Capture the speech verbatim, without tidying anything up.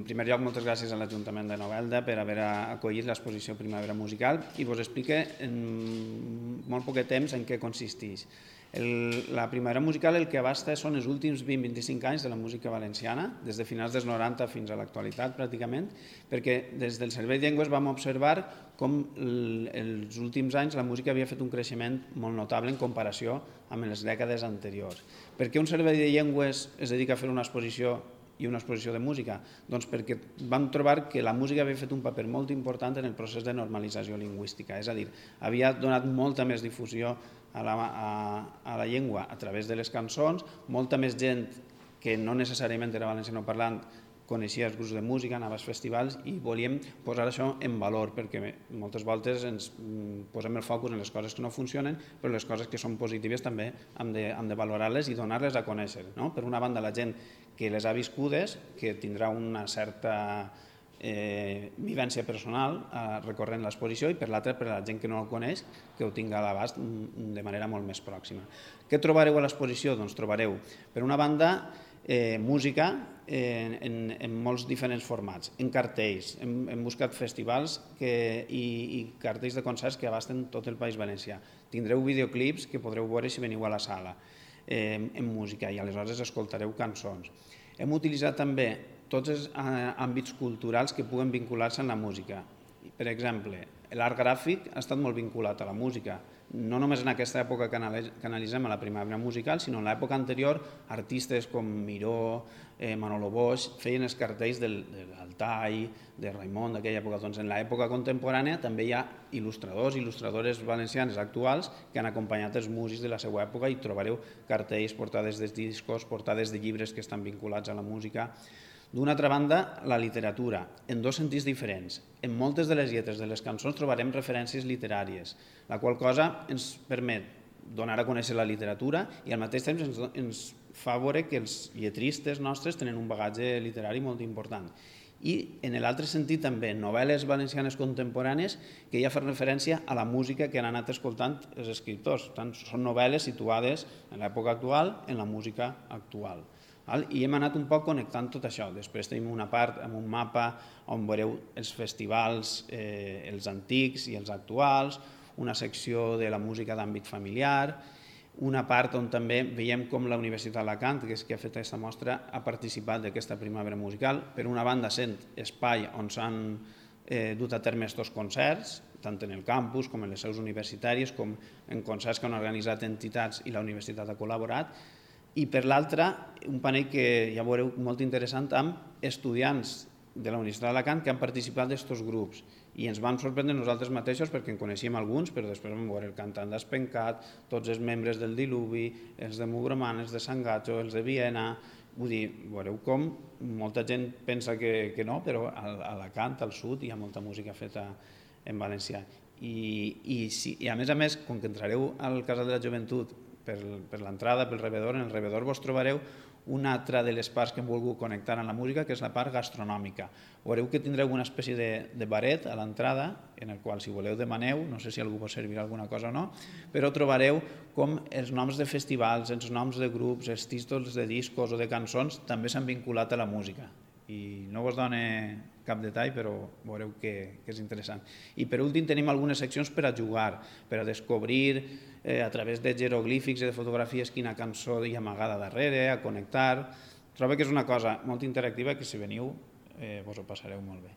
primer lloc, moltes gràcies a l'Ajuntament de Novelda per haver acollit l'exposició Primavera Musical i vos explique en molt poc temps en què consisteix. La Primavera Musical el que abasta són els últims vint a vint-i-cinc anys de la música valenciana, des de finals dels noranta fins a l'actualitat pràcticament, perquè des del Servei de Llengües vam observar com els últims anys la música havia fet un creixement molt notable en comparació amb les dècades anteriors. Per què un Servei de Llengües es dedica a fer una exposició i una exposició de música? Doncs perquè vam trobar que la música havia fet un paper molt important en el procés de normalització lingüística, és a dir, havia donat molta més difusió a la, a, a la llengua a través de les cançons, molta més gent que no necessàriament era valencianoparlant coneixia els grups de música, anava als festivals i volíem posar això en valor perquè moltes voltes ens posem el focus en les coses que no funcionen, però les coses que són positives també hem de, hem de valorar-les i donar-les a conèixer. No? Per una banda, la gent que les ha viscudes, que tindrà una certa eh, vivència personal eh, recorrent l'exposició, i per l'altra, per la gent que no el coneix, que ho tinga a l'abast de manera molt més pròxima. Què trobareu a l'exposició? Doncs trobareu, per una banda, Eh, música eh, en, en molts diferents formats, en cartells, hem, hem buscat festivals que, i, i cartells de concerts que abasten tot el País Valencià. Tindreu videoclips que podreu veure si veniu a la sala eh, en música i aleshores escoltareu cançons. Hem utilitzat també tots els eh, àmbits culturals que puguen vincular-se amb la música. Per exemple, l'art gràfic ha estat molt vinculat a la música, no només en aquesta època que analitzem a la Primavera Musical, sinó en l'època anterior, artistes com Miró, eh, Manolo Boix, feien els cartells del, de l'Altai, de Raimon, d'aquella època. Doncs en l'època contemporània també hi ha il·lustradors i il·lustradores valencianes actuals que han acompanyat els músics de la seva època i trobareu cartells, portades de discos, portades de llibres que estan vinculats a la música. D'una altra banda, la literatura, en dos sentits diferents. En moltes de les lletres de les cançons trobarem referències literàries, la qual cosa ens permet donar a conèixer la literatura i al mateix temps ens, ens fa veure que els lletristes nostres tenen un bagatge literari molt important. I en l'altre sentit també, novel·les valencianes contemporànies que ja fan referència a la música que han anat escoltant els escriptors. Tant són novel·les situades en l'època actual, en la música actual. I hem anat un poc connectant tot això. Després tenim una part amb un mapa on veureu els festivals, eh, els antics i els actuals, una secció de la música d'àmbit familiar, una part on també veiem com la Universitat d'Alacant, que és qui ha fet aquesta mostra, ha participat d'aquesta Primavera Musical, per una banda sent espai on s'han eh, dut a terme aquests concerts, tant en el campus com en les seus universitàries, com en concerts que han organitzat entitats i la universitat ha col·laborat, i per l'altra, un panell que ja veureu molt interessant amb estudiants de la Universitat d'Alacant que han participat d'aquests grups i ens van sorprendre nosaltres mateixos perquè en coneixíem alguns, però després vam veure el cantant d'Espencat, tots els membres del Diluvi, els de Mugroman, els de Sant Gatxo, els de Viena. Vull dir, veureu com molta gent pensa que, que no, però a Alacant, al sud, hi ha molta música feta en valencià. I, i, sí, i a més a més, com que entrareu al Casal de la Joventut per, per l'entrada, pel rebedor, en el rebedor vos trobareu una altra de les parts que hem volgut connectar amb la música, que és la part gastronòmica. Veureu que tindreu una espècie de, de baret a l'entrada, en el qual, si voleu, demaneu, no sé si algú vos servirà alguna cosa o no, però trobareu com els noms de festivals, els noms de grups, els títols de discos o de cançons també s'han vinculat a la música. I no vos dono cap detall, però veureu que, que és interessant. I per últim tenim algunes seccions per a jugar, per a descobrir eh, a través de jeroglífics i de fotografies quina cançó hi ha amagada darrere, a connectar. Trobo que és una cosa molt interactiva que si veniu eh, vos ho passareu molt bé.